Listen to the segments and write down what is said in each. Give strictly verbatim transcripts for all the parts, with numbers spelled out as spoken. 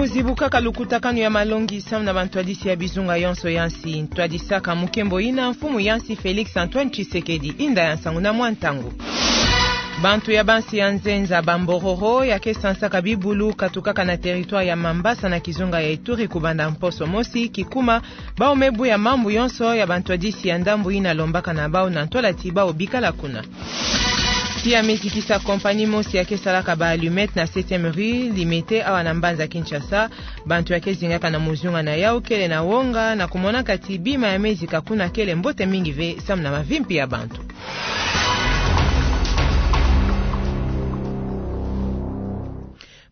Zibukaka lukutakanu ya malongi samu na bantwadisi ya bizunga yonso ya nsi. Ntwadisaka mukembo ina mfumu ya nsi Félix Antoine Tshisekedi. Inda ya nsangu na mwa ntangu. Bantu ya bansi ya nzenza, ba Mbororo, ya ke sansaka bibulu katukaka na territoire ya Mambasa na kizunga ya Ituri, kubanda mposo mosi kikuma, bau me buya mambu yonso ya bantwadisi ya ndambu ina lombaka na bau na ntwala ti bau bikala kuna. Tiya me zikisa compagnie mosi ya ke salaka ba allumettes na septième rue Limete awa na mbanza Kinshasa. Bantu ya ke zingaka na muzunga na yau kele na wonga na kumonaka ti bima ya me zika kuna kele mbote mingi ve samu na mavimpi ya bantu.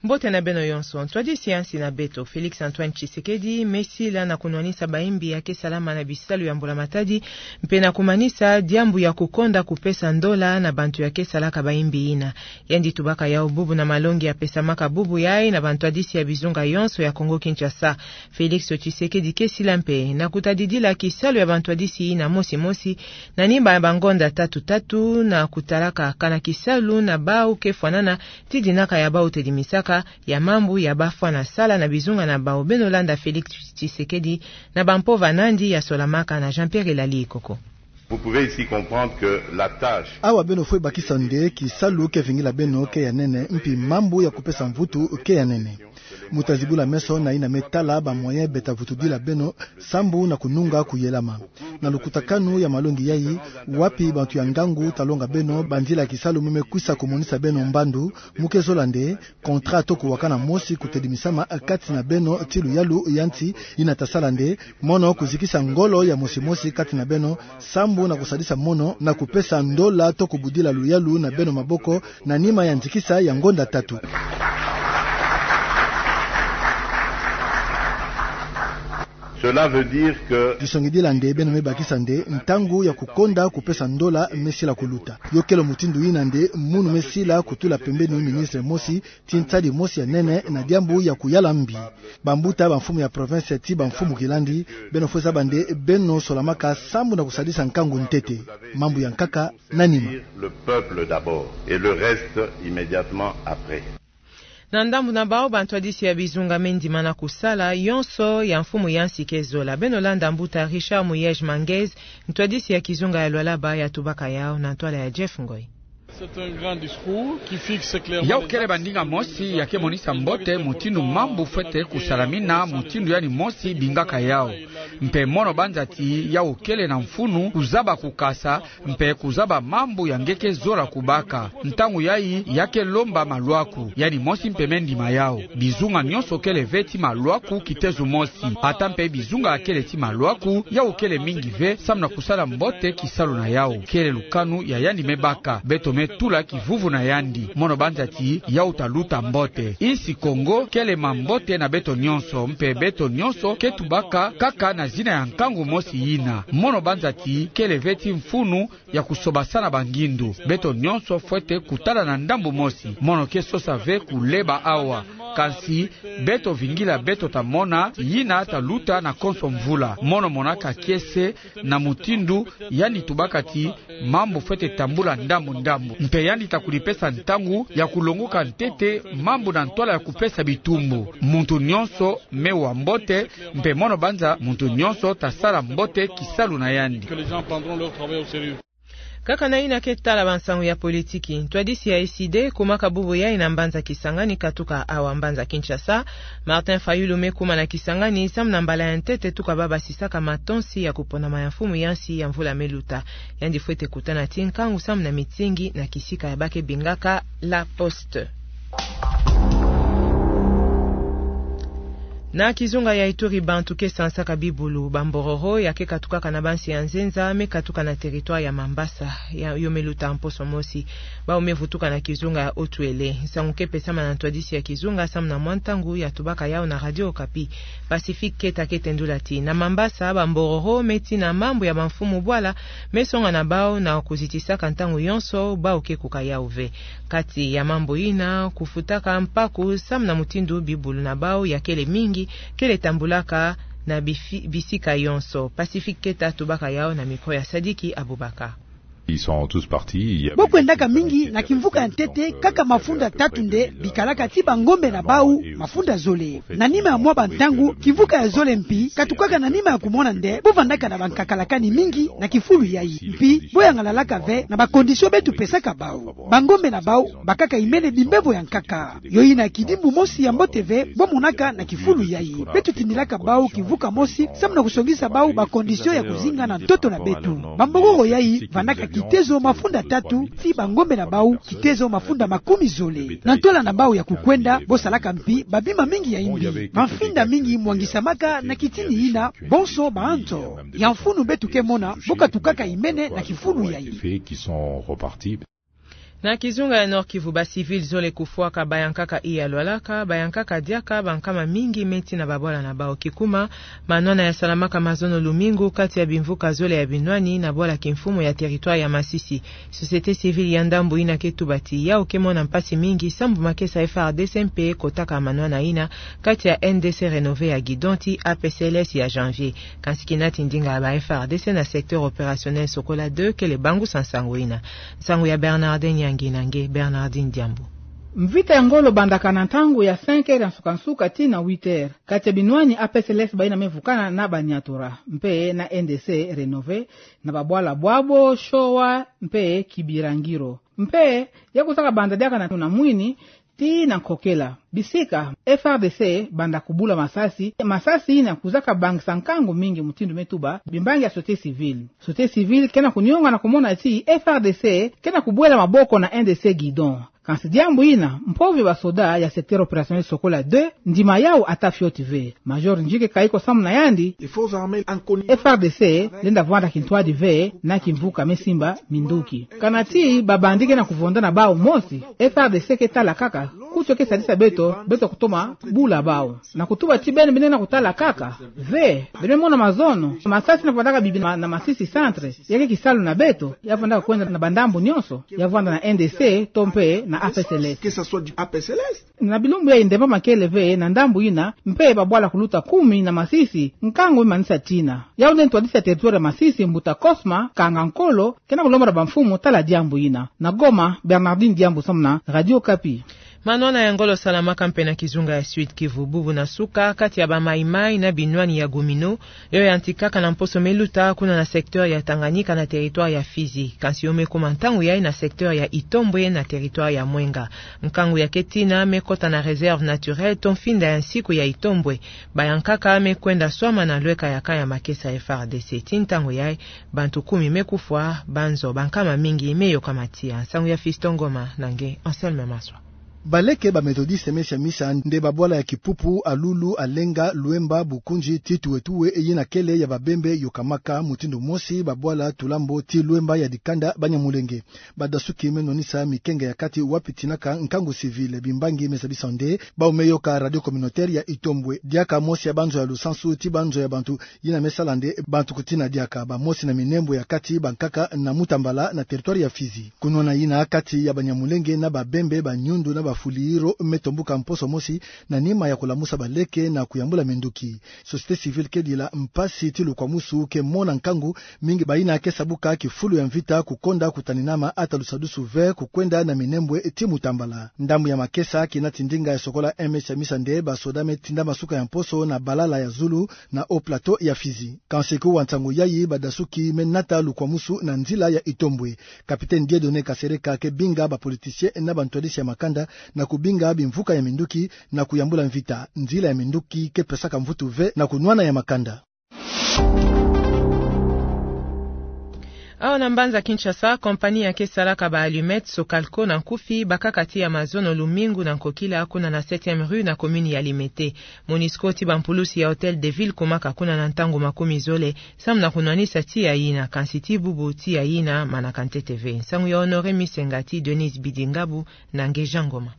Mbote na beno yonso. Ntwadisi ya nsi na beto, Félix Antoine Tshisekedi, me sila na kunwanisa bayimbi ya ke salama na bisalu ya mbula matadi, mpe na kumanisa diambu ya kukonda kupesa ndola na bantu ya ke salaka bayimbi ina. Yandi tubaka yau bubu na malongi ya pesamaka bubu yai na bantwadisi ya bizunga yonso ya Kongo Kinshasa. Félix Tshisekedi ke sila mpe na kutadidila kisalu ya bantwadisi ina mosi mosi, na nima ya bangonda tatu tatu, na kutalaka kana kisalu na bau ke fwanana, ti dinaka ya bau tedimisaka ya mambu ya bafwana sala na bizunga na bau. Beno landa Félix Tshisekedi na bampova nandi ya solamaka na Jean-Pierre Elali Ikoko. Vous pouvez ici comprendre que la tâche... Awa beno fwe bakisa nde kisalu ke vingila beno ke ya nene, mpi mambu ya kupesa mvutu ke ya nene. Mu ta zibula meso na ina me tala ba moyens beta vutudila beno, sambu na kununga kuyelama. Na lukutakanu ya malongi yai, wapi bantu ya ngangu ta longa beno banzila kisalu me me kwisa kumonisa beno mbandu? Mu ke zola nde contrat to kuwakana mosi kutedimisama kati na beno ti luyalu ya nti ina ta sala nde mono kuzikisa ngolo ya mosi mosi kati na beno, sambu na kusadisa mono na kupesa ndola to kubudila luyalu na beno maboko na nima ya nzikisa ya ngonda tatu. Cela veut dire que... Disongidila nde beno me bakisa nde ntangu ya kukonda kupesa ndola me sila kuluta. Yo kele mutindu ina nde munu me sila kutula pembeni ministre mosi ti ntadi mosi ya nene na diambu ya kuyala mbi. Bambuta, bamfumu ya province ti bamfumu kilandi, beno fwe zaba nde beno solamaka sambu na kusadisa nkangu ntete. Mambu ya nkaka na nima. Le peuple d'abord et le reste immédiatement après. Na ndambu na bau, bantwadisi ya bizunga me ndima na kusala yonso ya mfumu ya nsi ke zola. Beno landa mbuta Richard Muyej Manguez, ntwadisi ya kizunga ya Lualaba, ya tubaka yau na ntwala ya Jeff Ngoy. C'est un grand discours qui fixe clairement... Yau kele bandinga mosi ya ke monisa mbote mutindu mambu fwete kusalamina, mutindu yandi mosi bingaka yau. Mpe mono banza ti yau kele na mfunu kuzaba kukasa, mpe kuzaba mambu ya nge ke zola kubaka. Ntangu yai ya ke lomba malwaku, yandi mosi mpe me ndima yau. Bizunga nyonso kele ve ti malwaku kitezo mosi. Ata mpe bizunga ya kele ti malwaku, yau kele mingi ve, samu na kusala mbote kisalu na yau. Kele lukanu ya yandi me baka. Beto me tula kivuvu na yandi. Mono banza ti yau ta luta mbote. Insi Kongo kele mambote na beto nyonso, mpe beto nyonso ke tubaka kaka na zina ya nkangu mosi ina. Mono banza ti kele ve ti mfunu ya kusobasana bangindu. Beto nyonso fwete kutala na ndambu mosi. Mono ke sosa ve kuleba awa. Kansi beto vingila, beto ta mona yina ta luta na konso mvula. Mono monaka kiese na mutindu yandi tubaka ti mambu fwete tambula ndambu ndambu. Mpe yandi ta kulipesa ntangu ya kulonguka ntete mambu na ntwala ya kupesa bitumbu. Muntu nyonso me wa mbote, mpe mono banza muntu nyonso ta sala mbote kisalu na yandi. Que les gens prendront leur travail au sérieux. Kaka na yina ke tala bansangu ya politiki, ntwadisi ya S I D kumaka bubu yai na mbanza Kisangani katuka awa mbanza Kinshasa. Martin Fayulu me kuma na Kisangani samu na mbala ya ntete tuka ba basisaka matonsi ya kuponama ya mfumu ya nsi ya mvula me luta. Yandi fwete kutana ti nkangu samu na mitingi na kisika ya ba ke bingaka La Poste. Na kizunga ya Ituri, bantu ke sansaka bibulu, ba mbororo, ya ke katukaka na bansi ya nzenza, me katuka na territoire ya Mambasa, ya, yo me luta mposo mosi. Bau me vutuka na kizunga ya Haut-Uélé. Nsangu ke pesama na ntwadisi ya kizunga samu na mwa ntangu, ya tubaka yau na Radio Okapi. Pacifique Keta ke tendula ti na Mambasa, ba mbororo me tina mambu ya bamfumu bwala me songa na bau na kuzitisaka ntangu yonso, bau ke kuka yau ve. Kati ya mambu yina, kufutaka mpaku samu na mutindu bibulu na bau ya kele mingi, kele tambulaka na bifi-, bisika yonso. Pacifique Keta tubaka yau na micro ya Sadiki Abubakar. Ils sont tous partis, il y a... Bo kwendaka mingi na kimvuka ya ntete, kaka mafunda tatu nde bikalaka ti bangombe na bau mafunda zole. Na nima ya mwa bantangu, kimvuka ya zole mpi katukaka na nima ya kumona nde bo vandaka na bankakalakani mingi na kifulu yayi. Mpi bo yangalalaka ve na ba conditions beto pesaka bau. Bangombe na bau bakaka imene bimbevo ya nkaka. Yo ina kidimbu mosi ya mbote ve bo monaka na kifulu yayi. Beto tindilaka bau kimvuka mosi samu na kusongisa bau ba conditions ya kuzinga na ntoto na beto. Bambokoko yayi vandaka kitezo mafunda tatu, ti bangombe na bau kitezo mafunda makumi zole. Na ntola na bau ya kukwenda, bo salaka mpi babima mingi ya imbi. Mamfinda mingi mwangisamaka na kitini ina, bonso baanzo ya mfunu beto ke mona bo katukaka imene na kifulu yayi. Faits qui sont repartis. Na kizunga ya Nord-Kivu, ba civils zole kufwaka, bayankaka iya lwalaka, bayankaka diaka, bankama mingi meti na babwala na bau. Kikuma, manwana yasalamaka mazono lumingu kati ya bimvuka zole ya binwani na bwala kimfumu ya territoire ya Masisi. Société civile ya ndambu ina ke tuba ti yawu ke mona mpasi mingi sambu makesa F R D C mpe kotaka manwana ina kati ya N D C Renové ya Guidon ti A P C L S ya Janvier. Kansi kinati ndinga ya ba F R D C na secteur opérationnel Sokola deux kele bangusa nsangu ina. Nsangu ya Bernardin Nyangi na nge Bernardin Diambu. Mvita ya ngolo bandaka na ntangu ya cinq heures ya nsuka-nsuka tii na huit heures, kati ya binwani A P C L S baina me vukana na Banyatura mpe na N D C Renové, na babwala bwabo, Showa mpe Kibirangiro. Mpe ya kuzaka banda diaka na, na Mwini tii na Nkokela. Bisika F R D C banda kubula masasi, masasi ina kuzaka bangisa nkangu mingi, mutindu me tuba bimbangi ya société civile. Société civile ke na kunionga na kumona ti F R D C ke na kubwela maboko na N D C Guidon. Kansi diambu ina, mpove ba soda ya secteur opérationnel Sokola deux, ndima yawu ata fioti ve. Major Njike Kayiko samu na yandi, F R D C lenda vwanda kintwadi ve na kimvuka me simba minduki. Kana ti ba bandits ke na kuvonda na bau mosi, F R D C ke tala kaka, kutu ke sadisa beto, beto kutoma bula bau. Na kutuba ti beno beno na kutala kaka ve, beno mona mazono, masasi na vandaka bibi na, na Masisi centre, ya ke kisalu na beto, ya vandaka kwenda na bandambu nyonso, ya vanda na N D C to mpe na A P C L S. Que ça soit du A P C L S. Na bilumbu yayi ndemba makele ve na ndambu ina, mpe babwala kuluta kumi na Masisi, nkangu me manisa tina. Yawu nde ntwadisi ya territoire ya Masisi, Mbuta Cosma Kanga Nkolo, ke na kulomba na bamfumu tala diambu ina. Na Goma, Bernardine Diambu samu na Radio Okapi. Manwana ya ngolo salamaka mpe na kizunga ya Sud-Kivu bubu na suka, kati ya ba Maï-Maï na binwani ya Gouminot, yo yantikaka na mposo me luta kuna na secteur ya Tanganyika na territoire ya Fizi. Kansi yo me kuma ntangu yayi na secteur ya Itombwe na territoire ya Mwenga. Nkangu ya ke tina me kota na réserve naturelle to mfinda ya nsiku ya Itombwe. Bayankaka me kwenda swama na lweka ya camp ya makesa F R D C. Tii ntangu yayi, bantu kumi me kufwa, banzo bankama mingi me yokama tiya. Nsangu ya Fiston Ngoma na nge Anselme Maswa. Baleke ba Methodistes me siamisa nde babwala ya Kipupu, Alulu, Alenga, Luemba, Bukunji, tii Tuwe-Tuwe, yina kele ya Babembe, yokamaka mutindu mosi babwala Tulambo tii Luemba ya dikanda Banyamulenge. Badasuki me nwanisa mikenge ya kati wapi tinaka nkangu civil. Bimbangi me zabisa nde bau me yoka radio communautaire ya Itombwe. Diaka mosi ya banzo ya lusansu tii banzo ya bantu yina me sala nde bantu kutina diaka. Bamosi na minembwe ya kati bankaka na Mutambala na territoire ya Fizi. Kunwana yina kati ya Banyamulenge na Babembe, Banyundu na Bafuliiro me tombuka mposo mosi na nima ya kulamusa baleke na kuyambula minduki. Société civile ke dila mpasi tii lukwamusu ke mona nkangu mingi bayina ke sabuka kifulu ya mvita kukonda kutaninama ata lusadusu ve kukwenda na minembwe tii Mutambala. Ndambu ya makesa kinati ndinga ya Sokola M S ya misa nde basoda me tinda masuka ya mposo na Balala ya zulu na Haut Plateau ya Fizi. Kansi kuwa nsangu yayi badasuki me nata lukwamusu na nzila ya Itombwe. Capitaine Dieudonné Kasereka ke binga ba politiciens na bantwadisi ya makanda na kubinga bimvuka ya minduki na kuyambula mvita. Nzila ya minduki ke pesaka mvutu ve na kunwana ya makanda. Awa na mbanza Kinshasa, compagnie ya ke salaka ba allumettes Socalco na nkufi bakaka tiya mazono lumingu na nkokila kuna na septième rue na commune ya Limete. Monusco tii bampulusi ya Hôtel de Ville kumaka kuna na ntangu makumi zole samu na kunwanisa tiya yina, kansi tii bubu tiya yina manaka ntete ve. Nsangu ya Honoré Misenga tii Denise Bidingabu na nge Jean Ngoma.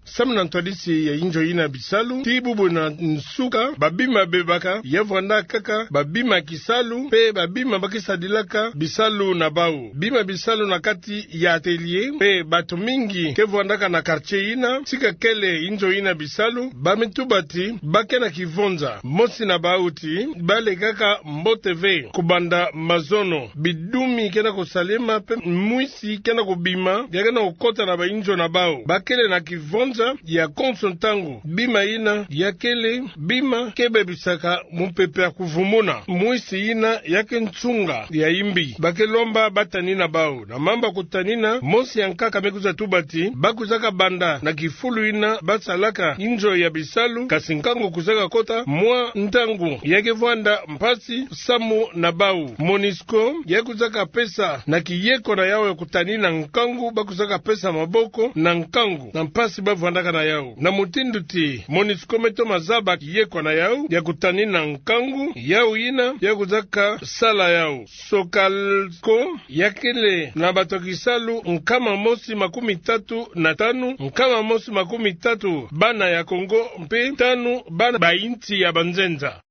Samu na ntwadisi ya inzo yina bisalu, tii bubu na nsuka, babima bebaka ya vwanda kaka babima kisalu, mpe babima ba ke sadilaka bisalu na bau. Bima bisalu na kati ya atelier, mpe bato mingi ke vwandaka na quartier yina, tika kele inzo yina bisalu, ba me tuba ti ba ke na kivonza. Mosi na bau ti ba lekaka mbote ve, kubanda mazono, bidumi ke na kusalema, mpe mwisi ke na kubima, ya ke na kukota na bainzo na bau. Ba kele na kivonza ya konso ntangu. Bima yina ya kele bima ke bebisaka mupepe ya kuvumuna. Mwisi yina ya ke nsunga ya imbi. Ba ke lomba ba tanina bau. Na mamba kutanina, mosi ya nkaka me kwiza tuba ti ba kwizaka banda na kifulu yina ba salaka inzo ya bisalu, kasi nkangu kwizaka kota, mwa ntangu ya ke vwanda mpasi samu na bau. Monisco ya kwizaka pesa na kiyeko na yau ya kutanina nkangu ba kwizaka pesa maboko na nkangu na mpasi ba vwandaka na yau. Na mutindu ti Monisco me toma zaba kiyeko na yau ya kutanina nkangu, yau yina ya kwizaka sala yau. Sokalco ya kele na bato ya kisalu nkama mosi makumi tatu na tanu, nkama mosi makumi tatu bana ya Congo, mpe tanu bana ba insi ya banzenza.